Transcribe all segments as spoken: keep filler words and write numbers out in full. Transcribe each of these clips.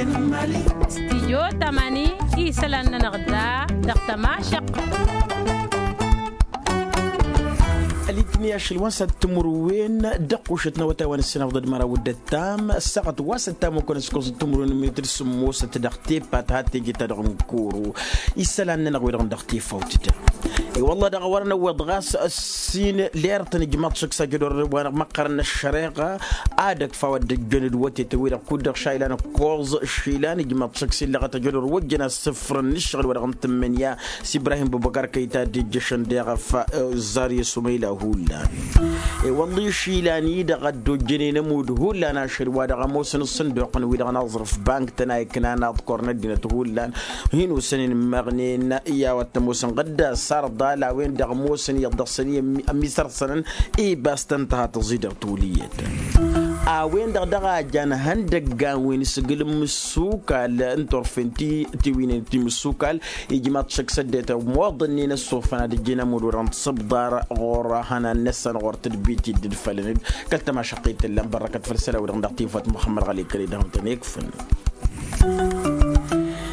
Stijyo tamani isălan-nănăɣ da dăɣ-tămašăq. Ălitni ašăl wa n-săt timǝrwen dăɣ-kušăt n-awătay wa n-ǝssinăfḍăd măraw d-ăttam ăssaɣăt wa s-ăttam okănăskos timǝrwen n-minităd sǝmmosăt dăɣ-tepat had teje-ta-dăɣ n-kuru. Isălan-nănăɣ wi-dăɣ n-dăɣ-tifawt-ta. I-wălla dăɣ-a wărăn ăwweḍ ɣas ăssin lerăt n-ijmaḍ šăksa jădor wa n-măqqărăn n-ăššăreɣa. Ad-ăkfa wa dd-ăjjăn d-wătetăn-wi-dăɣ kud-dăɣ šaylan ǝkkoẓ išilan ijmaḍ šăksa illăɣăt ăjădor wăjjăn asǝfrăn n-ǝššăɣǝl wa dăɣ-n tǝmmǝnǝya. S-ibrahim bubăkar kăy-ta dd-ijjăšăn deɣ ăf ăzzarǝy s-umăyla hullan. I-wălla išilan-i-dăɣ a dd-ojjănen ămudd hullan ašăl wa dăɣ-ămoosăn ǝssǝnduqăn-wi-dăɣ n-aẓrǝf bank-tăn a iknan aḍkor n-ăddinăt hullan. Hin-osănen ǝmmăɣnen i-a-wa t-ămoosăn ɣǝdda sarḍal a-wen-dăɣ ămoosăn iyyăḍ dăɣ-săn i-ămmisărsănăn. Ibas tăn-tăha tăẓidăr toliyyăt a-wen-dăɣ dăɣ-a jan ihăndăggan wi n-asǝgǝl n-imǝssukal n-turfen ti tiwǝynen ti imǝssukal. Ijmaḍ šăkk s-ăddinăt ămoḍănnen ăssofăn ad-ǝjjǝn ămudd wa dăɣ-n tisǝbḍar ɣur-hănan-năsăn ɣur-tadbit i-dd-ǝdfălăn-dd. Kăl-tămašăqqit tǝllan bărrăkăt făll-isălan-wi-dăɣ n-dăɣ-tifawt muxămmăd ɣali kăre-dăɣ n-tăn-ikfăn.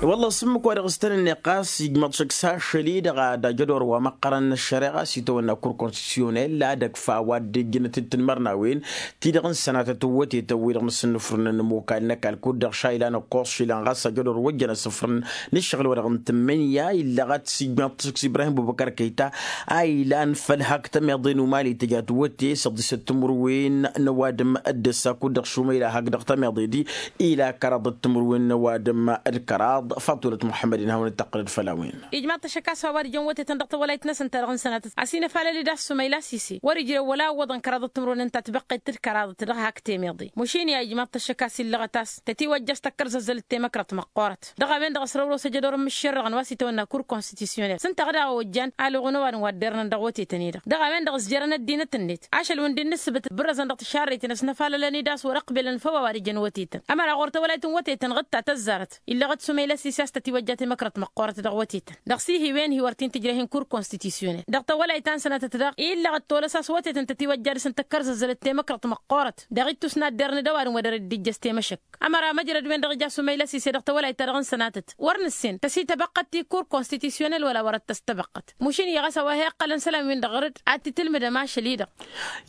I-wălla s-ǝmmǝk wa dăɣ-s tăn-ănneɣ ɣas ijmaḍ šăkk s-ašăl-i-dăɣ ad-ajădor wa măqqărăn n-ăššăreɣa s-itawănna kur konstitusyonel ad-ăkfa wa dd-ijjǝnăt d-tinmărnawen ti-dăɣ n-sănatăt n-wătetăn-wi-dăɣ n-asǝnnǝfrǝnăn n-imokal n-ăkall kud-dăɣ šaylan ǝkkoẓ išilan ɣas ajădor wăjjăn asǝfrǝn n-ǝššăɣǝl-wa-dăɣ n-tǝmmǝnǝya illăɣăt s-ijmaḍ-t s-ibrahim bubăkăr kăyta. A ilan făll-hak tămeḍe n-umali tǝja tiwăte s-ăḍḍisăt timǝrwen n-ăwadǝm d-ăssa kud-dăɣ šumăyla hak dăɣ-tămeḍe-di. Ila kăraḍăt timǝrwen n-ăwadǝm d-kăraḍ faḍt wălăt muḥămmăd-in hawăn-dd-tăqqǝlăd făll-a-wen. Ijmaḍ-t ăššăk a-s wa-wa-dăɣ jăn wătetăn dăɣ-tawălayt-năsăn ta dăɣ-n sănatăt a-s inăfalăl-dd a-s sumăyla sise wăr-ijrew wăla ǝwwăḍăn kăraḍăt timǝrwen n-ta tibăqqet d-kăraḍăt dăɣ-hak temeḍe. Mašin i-a ijmaḍ-t ăššăk a-s illăɣăt a-s tătiwăjja a-s tăkkărzăzzălăt temăkrăt măqqoorăt dăɣ-a-wen-dăɣ ăsrăwrosăj ad-orăn mǝššerrăɣăn wa s-itawănna kur konstitusyonel s-ǝnta ɣǝd a ojjan alăɣ n-ăwadǝm wa dd-irnăn dăɣ-wătetăn-i-dăɣ dăɣ-a-wen-dăɣ ǝzjărăn ăddinăt-net ašăl wi n-dd-nǝssǝbǝt bǝrrăzăn dăɣ-tišarrăyten a-s năfalălăn-dd a-s wăr-ăqbelăn făw a-wa dăjăn wătetăn ămăra ɣur-tawălayt n-wătetăn ɣǝd ta tăzzarăt illăɣăt sumăyla s-ise a-s tătiwăjja temăkrăt măqqoorăt dăɣ-wătetăn dăɣ-s ihi wen-hi wăr t-in-tǝjrăh hin-kur konstitusyonel dăɣ-tawălayt ta n-sănatăt daɣ illăɣăt tolăs a-s wătetăn tătiwăjja dăɣ-săn tăkkărzăzzălăt temăkrăt măqqoorăt dăɣ-ittus n-ad-dd-irnǝd ăwadǝm wa dăr-dd-ijjăš temăšăk. Ămăra măjrăd-wen-dăɣ ija sumăyla s-ise dăɣ-tawălayt-ta-dăɣ n-sănatăt wăr nǝssen tăsităbăqqăt ti kur konstitusyonel wăla wărăt tăstăbăqqăt. Mašin i-ɣas a-wa hi-iqqălăn isălan-win-dăɣ ɣăr-dd ad-t-tǝlmǝdăm ašăl-i-dăɣ.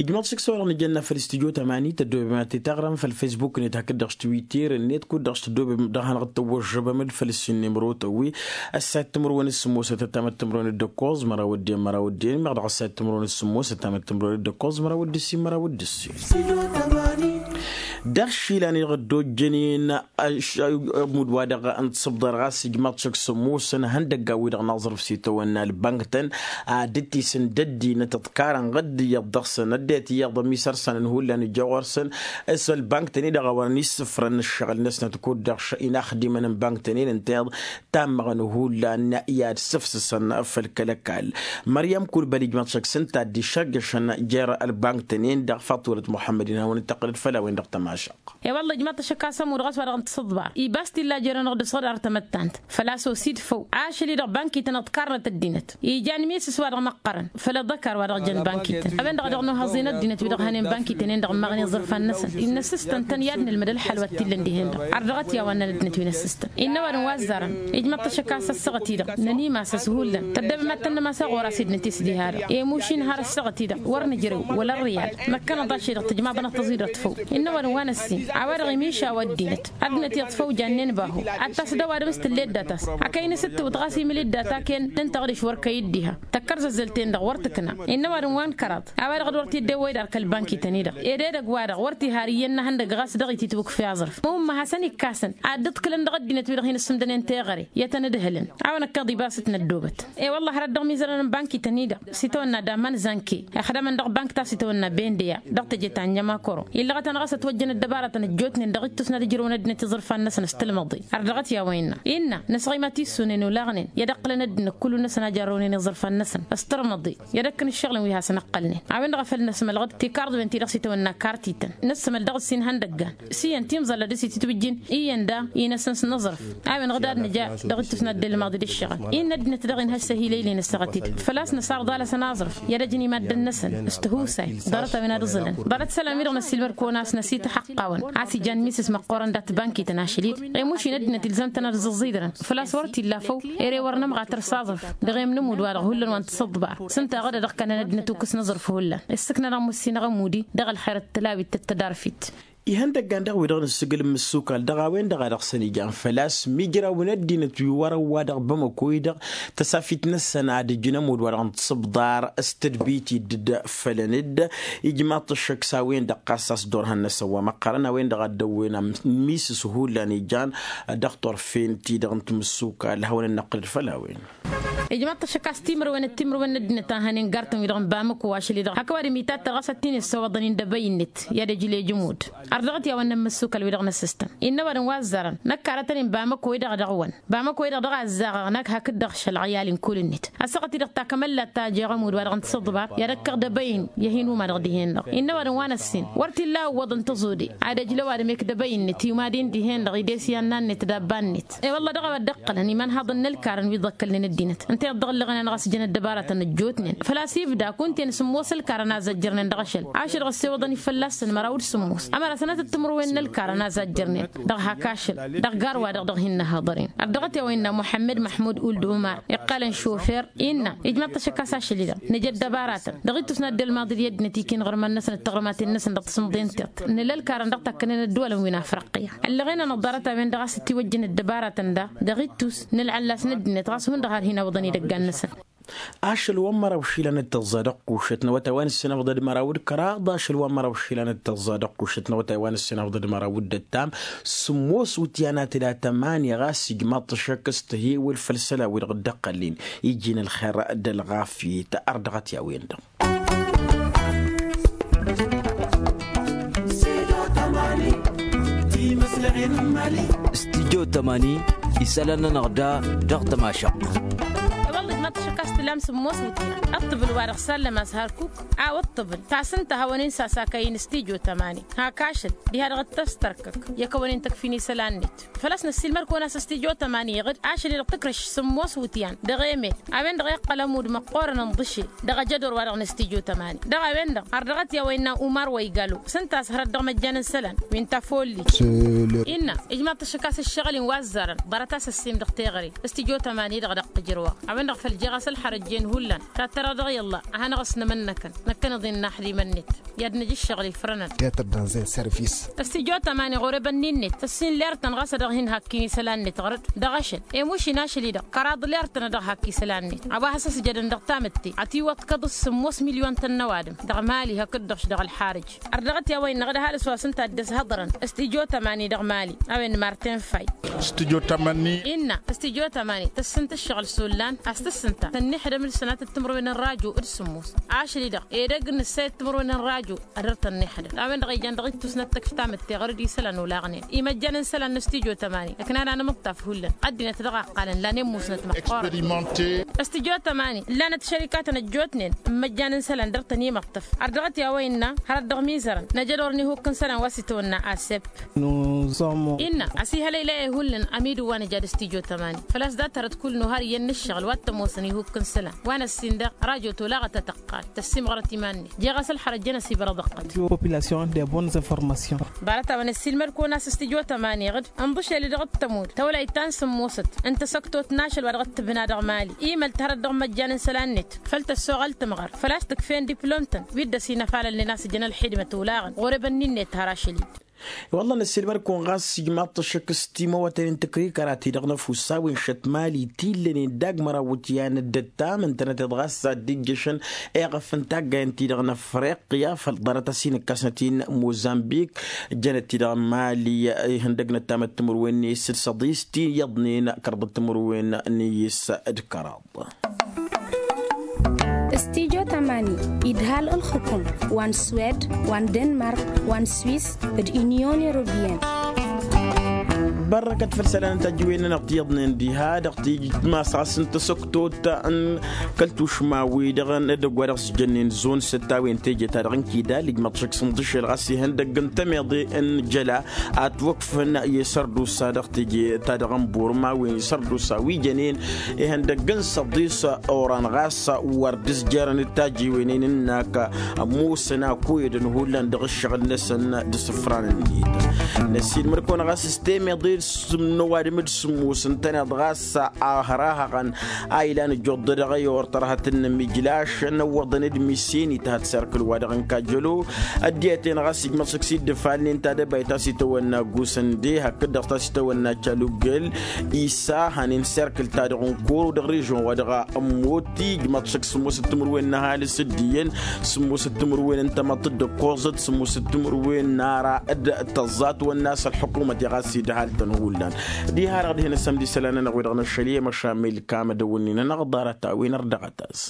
Ijmăḍ šǝksa wa dăɣ-nǝjănna făll-studyo tămani tăddoobem ad-t-taɣrăm făll-fesbuk-net hakd-dăɣ s-twitter-net kud-dăɣ s-tăddoobem dăɣ-hanăɣ-dd-tăwwăžžăbăm-dd făll-ǝssin n-imrotăn-wi. Ăssayăt timǝrwen s-sǝmmosăt ăttamăt timǝrwen d-ǝkkoẓ măraw ăddin măraw ăddin meɣ dăɣ-ăssayăt timǝrwen s-sǝmmosăt ăttamăt timǝrwen d-ǝkkoẓ măraw d-ǝssin măraw d-ǝssin. Dăɣ-išilan-i-dăɣ dd-ojjănen ămudd wa-dăɣ n-tisǝbḍer ɣas ijmaḍ-t šăkk s-ămoosăn ihăndăggan-wi-dăɣ n-aẓrǝf s-itawănna ălbănk-tăn ad-dd-tisǝn d-ăddinăt ǝḍkarăn ɣǝdd iyyăḍ dăɣ-săn ăddinăt iyyăḍ ămisărsănăn hullan ija ɣur-săn. S-ălbănk-tăn-i-dăɣ a wărăn issǝfrăn ǝššăɣǝl-năsnăt kud-dăɣ inaxdimăn n-bănk-tăn-in ǝnta iyyăḍ tammăɣăn hullan i-ad-sǝfsǝsăn făll-kăl-ăkall. Măryăm kulbăl ijmaḍ-t šăkk s-ǝnta a dd-išărjăšăn jer-ălbănk-tăn-in-dăɣ faḍt wălăt muḥămmăd-in hawăn-dd-tăqqǝlăd făll-a-wen-dăɣ tămašăq. I-wălla ijmaḍ-t ăššăk a-s ămudd ɣas wa-dăɣ n-tisǝḍbar ibas t-illa jer-anăɣ d-asɣăd ar tamăttant făl-a-s osid făw ašăl-i-dăɣ bankităn ǝḍkarnăt ăddinăt. Ijan misǝs wa-dăɣ măqqărăn făll-aḍăkar wa-dăɣ jăn bankităn a-wen-dăɣ a dăɣ-nuhăẓen ăddinăt wi-dăɣ hănen bankităn-en-dăɣ ǝmmăɣnen iẓărfan-năsăn. Innă ăssistăn-tăn i-ad-nǝlmǝd ălxăl wa t-illăn dihen-dăɣ ardăɣăt i-a-wa ǝnnăn ăddinăt wi n-ăssistăn. Innă ăwadǝm wa ăzzarăn ijmăḍ-t ăššăk a-s ăssaɣăt-i-dăɣ nănimas-as hullan tăddăbăm ad-tănnăm a-s ăɣora s-dd-nătes diha-dăɣ i-mušin har ăssaɣăt-i-dăɣ wăr nǝjrew wăla ărrǝyal. Năkkănăḍ ašăl-i-dăɣ tǝjmaḍănăɣ tăẓidărt făw. Innă ăwadǝm wa n-ăssin a-wa-dăɣ imišaw ăddinăt ăddinăt iyyăḍ făw jannen bahu ad-tas d-ăwadǝm s-tǝllet data-s. Akăy n-asǝttǝwǝt ɣas imǝl-dd data-ken d-ǝnta ɣǝdǝš wăr kăy-dd diha tăkkărzăzzăl-ten-dăɣ wăr tǝkna. Innă ăwadǝm wa n-kăraḍ a-wa-dăɣ d-wăr t-dd-ewwăy d-arkăl bănkităn-i-dăɣ ed edăgg-wa-dăɣ wăr t-ihar iyyăn n-ehăndăgg ɣas dăɣ-ititǝwǝkf i-aẓrǝf. Mumma hasăn-ikk'-asăn ad-dd-ǝḍkǝlăn dăɣ-ăddinăt-wi-dăɣ hin-ǝssǝmdănen teɣăre i-ad-tăn-ǝdhǝlăn. A-wa năkkeḍ ibas t-năddoobăt. I-wăllah hărăt dăɣ-imizărăn n-bankităn-i-dăɣ s-itawănna daman zanke ixdămăn dăɣ-bank ta s-itawănna bendeya dăɣ-teje ta n-jămakoro. Illăɣăt-anăɣ a-s ătwăjjăn ăddăbarătăn ăjjootnen dăɣ-ittus n-ad-ǝjrǝwăn ăddinăt iẓǝrfan-năsăn s-tǝlmăḍe. Ărdăɣăt i-a-wa innă innă nǝsɣima tissunen olaɣnen i-ad-ǝqqǝlăn ăddinăt kullu-năsăn a jarrăwnen iẓǝrfan-năsăn s-tǝlmăḍe. I-ad-ǝkkǝn ǝššăɣǝlăn wi hasăn-ǝqqălnen a-wen-dăɣ a făl năsmălɣăd tikarḍwen-ti-dăɣ s-itawănna kartităn. Nǝssǝmăl dăɣ-ǝssin ihăndăggan s-iyyăn timẓalla d-asitǝtwǝjjin iyyăn da inăsăn s-inǝẓrǝf. A-wen-dăɣ d-ad-nǝja dăɣ-ittus n-ad-dd-ălmaḍ d-ǝššăɣǝl-i n-ăddinăt daɣ-inhăj s-ehilăylen ăssaɣăt-i-dăɣ făl-a-s năsarḍalăsăn aẓrǝf i-ad-ăjǝn i-maddǝn-năsăn s-tihusay. Ḍarăt-a-wen ad-ǝẓǝlăn ḍarăt isălan-wi-dăɣ năssiilmăd kăwăn-as. năsităxăqqawăn a-s ijan miss măqqoorăn dat-bankităn ašăl-i-dăɣ i-mušin ăddinăt ilzăm-tăn ad-ǝẓẓăẓidărăn. Făl-a-s wăr t-illa făw ere wăr nǝmɣa tărsaẓăf dăɣ-e-m nǝmud-wa-dăɣ hullan wa n-tǝsǝḍbar s-ǝnta a ɣǝd-a-dăɣ kănăn ăddinăt ukǝs n-aẓrǝf hullan. Ǝssǝknăn-aɣ mussin-aɣ ămud-i dăɣ-ălxer d-tălawit d-tădarfit. Ihăndăggan-dăɣ-wi-dăɣ n-ǝssǝgǝl n-imǝssukal dăɣ-a-wen-dăɣ a dăɣ-săn ijan făl-a-s mijrawăn ăddinăt wi wărăn wa dăɣ-bamăko-i-dăɣ tăsafit-năsăn ad-ǝjǝn ămudd wa dăɣ-n tǝsǝbḍar s-tadbit idd-dd-fălăn-dd. Ijmaḍ-t ăššăk s-a-wen-dăɣ ɣas a-s dd-orhăn-năsăn wa măqqărăn a-wen-dăɣ a dd-ăwwen ammisǝs hullan ijan dăɣ-turfen-ti-dăɣ n-timǝssukal hawăn-ănnăqqǝlăd făll-a-wen. Ijmaḍ-t ăššăk a-s timǝrwen d-timǝrwen n-ăddinăt a hănen gartăn-wi-dăɣ n-bamăko ašăl-i-dăɣ hak ăwadǝm itattar ɣas ad-t-in-issăwăḍăn-in d-ebăy-net i-ad-ăjlejǝm-wădd. Ărdăɣăt i-a-wănna n-imǝssukal-wi-dăɣ n-asǝstăn innă ăwadǝm wa ăzzarăn năkkarătăn-in bamăko-i-dăɣ ad-ăɣwăn bamăko-i-dăɣ dăɣ-a ăzzaɣăɣ năkk hakd-dăɣ šălɣăyal n-kul-net. Ăssaɣăt-i-dăɣ takămăllat ta jeɣ ămudd wa dăɣ-n tǝsǝḍbar i-ad-ăkkăɣ d-ebăy-in i-ad-hin-umaḍăɣ dihen-dăɣ innă ăwadǝm wa n-ăssin wăr t-illa ǝwwăḍăn tăẓode ad-ăjl ăwadǝm ekdăbăy-net i-umadin dihen-dăɣ ides i-annan-net d-abba-net. I-wălla dăɣ-a-wa dd-ǝqqălăn imanhaḍăn n-ălkarăn wi ḍăkkălnen ăddinăt ǝnta i-dd-dăɣ ǝllăɣăn-anăɣ a-s jăn ăddăbaratăn ăjjootnen făl-a-s ibda kunta-en sǝmmos ălkarăn a zăjjărnen dăɣ-ašăl ašăl-dăɣ ăssewăḍăn-i fălla-săn măraw d-sǝmmos ămăra sănatăt timǝrwen n-ălkarăn a zăjjărnen. Dăɣ-hak ašăl dăɣ-gar-wa-dăɣ dăɣ-hin-nǝha ḍăren ărdăɣăt i-a-wa innă muḥămmăd măḥmud uld umar iqqalăn šofer innă ijmaḍ-t ăššăk a-s ašăl-i-dăɣ nǝja ăddăbaratăn dăɣ-ittus n-ad-dd-ălmaḍ d-i ăddinăt ikinăɣ rămăn-năsăn d-taɣrǝmaten-năsăn dăɣ-tasǝmḍe-n-tiṭṭ nǝla ălkarăn dăɣ-takkănen ăddăwalăn wi n-afriqya. Ăllăɣen-anăɣ ḍarăt-a-wen-dăɣ a-s ătiwăjjăn ăddăbaratăn daɣ dăɣ-ittus nǝlɣăllas n-ăddinăt ɣas hundăɣ har hin-awǝḍăn idăggan-năsăn. Ašăl wa n-măraw išilan d-tăẓẓa dăɣ-kušăt n-awătay wa n-ǝssin afḍăd măraw d-kăraḍ ašăl wa n-măraw išilan d-tăẓẓa dăɣ-kušăt n-awătay wa n-ǝssin afḍăd măraw d-ăttam. Sǝmmos wǝtyan a tǝla tămani ɣas ijmaḍ-t ăššăk s-tăhiwǝl făll-isălan-wi-dăɣ dd-ăqqălnen iji n-ălxer d-ălɣafyăt. Ardăɣăt i-a-wen-dăɣ. Studyo tămani isălan-nănăɣ da dăɣ-tămašăq. I-wălla ijmaḍ-t ăššăk a-s tǝlam sǝmmos wǝtyan ăṭṭăbǝl wa dăɣ-sallăm a-s hărkuk a-wa ăṭṭăbǝl tasǝnta hawăn-in sasakăy-in studyo tămani hak ašăl diha-dăɣ dd-tăstărkăk i-ad-kăwăn-in tăkf'-in isălan-net. Făl-a-s năssiilmăr-kăwăn a-s studyo tămani iɣǝd ašăl-i-dăɣ tǝkrǝš sǝmmos wǝtyan dăɣ-emel a-wen-dăɣ iqqăl ămudd măqqoorăn ǝnḍǝšel dăɣ-ajădor wa dăɣ-nǝstǝjjo tămani. Dăɣ-a-wen-dăɣ ărdăɣăt i-a-wa innă umar wa igalo s-ǝnta a-s hărăt dăɣ-măjjan n-isălan wi n-tafollit. Innă ijmaḍ-t ăššăk a-s ǝššăɣǝl-in wa ăzzarăn ḍarăt-as ăssim dăɣ-teɣăre. Studyo tămani-dăɣ dăɣ-tǝjrǝwăɣ a-wen-dăɣ făl jeɣ-as ălxărăjjen hullan tattăra dăɣ-iyyălla a hanăɣ-ăsnămănnăkăn. Năkkăneḍ-in n-aḥdimăn-net i-ad-nǝj ǝššăɣǝl ifrănăn. Teatăr danzen servis. Ăstijotămani ɣur-ebănnin-net ăssin lertăn ɣas a dăɣ-hin-hakkǝy n-isălan-net ɣur-dd dăɣ-ašăl i-mušin ašăl-i-dăɣ kăraḍ lertăn a dăɣ-hakk isălan-net. A-wa has-ăsjădăn dăɣ-tamǝtte ătiwăḍkăḍ s-sǝmmos milyon-tăn n-ăwadǝm dăɣ-mali hakd-dăɣ-š dăɣ-ălxarǝj. Ărdăɣăt i-a-wa innăɣ d-ăhalǝs wa s-ǝnta a dd-ăshăḍrăn ăstijotămani dăɣ-mali a-wen n-martin fay. Ăstijotămani innă ăstijotămani tăssǝnt ǝššăɣǝl s-ollan a-s tǝssǝnta tănnihădăm d-sănatăt timǝrwen n-rajo d-sǝmmos ašăl-i-dăɣ edăgg n-ǝssayăt timǝrwen n-rajo. Ad-ăr tănnihădăm a-wen-dăɣ ijan dăɣ-ittus n-ăttăkf tamǝtte ɣur-dd isălan olaɣnen imăjjan n-isălan n-ăstijotămani ǝknan anămǝṭṭaf hullan ăddinăt dăɣ-a ǝqqalăn lanen musnăt măqqoorăn. Ăstijotămani ǝllanăt šărikatăn ăjjootnen n-imăjjan n-isălan dăr-tăn imăṭṭăf. Ărdăɣăt i-a-wa innă hărăt dăɣ-mizărăn năjădor n-ihuk n-isălan wa s-itwănna asep. Innă ăsihălăylăy-e hullan ămidǝw wa nǝja d-ăstijotămani făl-a-s dat-hărăt kull n-ohar iyyăn n-ǝššăɣǝl wa t-ămoosăn ihuk n-isălan wa n-ăssin dăɣ rajo tolaɣăt a tăqqal tăssimɣărăt iman-net. Jeɣ-as ălxărăt jăn-ăsibărăḍ ăqqăl. Population de bonnes informations. Ḍarăt-a-wen ăssiilmăd-kăwăn a-s ăstijotămani iɣǝd ǝnḍǝšel-i-dăɣ t-tămud tawlayt ta n-sǝmmosăt n-tasăktot n-ašăl wa dăɣ-t-tǝbna dăɣ-mali imăl-t hărăt dăɣ-măjjan n-isălan-net. Făl tăssoɣăl tǝmɣăr făl-a-s tǝkfen diplom-tăn wi dd-ăsinăfalălnen a-s ǝjăn ălxidmăt olaɣăn ɣur-ebănni-net har ašăl-i. Wălla năssiilmăr-kăwăn ɣas ijmaḍ-t ăššăk s-timăwăten n-tǝkrikăra-ti-dăɣ n-ăfuss a-wen šăt mali t-illănen dagg măraw wǝtyan d-ăttam ǝntănăteḍ ɣas ad-dd-ijjăšăn eɣăf n-taggayăn-ti-dăɣ n-afriqya făll-ḍarăt a-s inǝkkasnăt-in mozambik. Jănăt-ti-dăɣ n-mali ihăndăg n-ăttam d-timǝrwen n-esǝd săḍis ti iyyăḍnen kăraḍ d-timǝrwen n-iyyǝs d-kăraḍ. Studyo tămani idhal ǝlxǝkum wa n-swed wa n-denmark wa n-swis d-unyon europeyăn. Bărrăkăt făll-isălan n-tajǝwen-nănăɣ ti iyyăḍnen diha dăɣ-tijǝt ma s-ɣas n-tasăktot n-kăl-tušma-wi-dăɣ n-edăgg wa dăɣ-s jănnen zon săt a-wen teje-ta-dăɣ n-kidal ijmăḍ šăkk s-inḍǝšel ɣas ihăndăgg n-tămeḍe n-jăla. Atwăkfăn i-sărdusa dăɣ-teje-ta-dăɣ n-burma wen isărdusa wi jănen ihăndăgg n-săḍis oran ɣas wăr dd-s jerăn d-tajiwenen ǝnnak ămoosăn akuyădăn hullan dăɣ-ǝššăɣǝl-năsăn d-isǝfran-net. Năsiilmăd-kăwăn ɣas s-temeḍe d-sǝmnăw adǝm d-sǝmmos ǝntăneḍ ɣas a hărahăɣăn a ilan ǝjjuḍ-dăɣ i-ortărhăt n-inǝmijlašăn ăwwăḍăn d-misenit had serkǝl wa dăɣ-n kajălo. Ăddinăt-en ɣas ijmăḍ săk s-dd-ǝfalnen tadăbayt ta s-itawănna gusăn de hakd-dăɣ ta s-itawănna calugel isa hanen serkǝl-ta-dăɣ n-koro dăɣ-režion wa dăɣ-ămmoti ijmăḍ săk sǝmmosăt timǝrwen n-ăhalǝs d-iyyăn sǝmmosăt timǝrwen n-tamăḍt d-ǝkkoẓăt sǝmmosăt timǝrwen n-ara d-tăẓẓatwănna s-ălḥukumăt i-ɣas idhal-tăn hullan. Diha-dăɣ dihen ăssămd isălan-nănăɣ wi-dăɣ năššăl i-măšamel kamădăwănnin-nănăɣ ḍarăt-a-wen ărdăɣăt-as.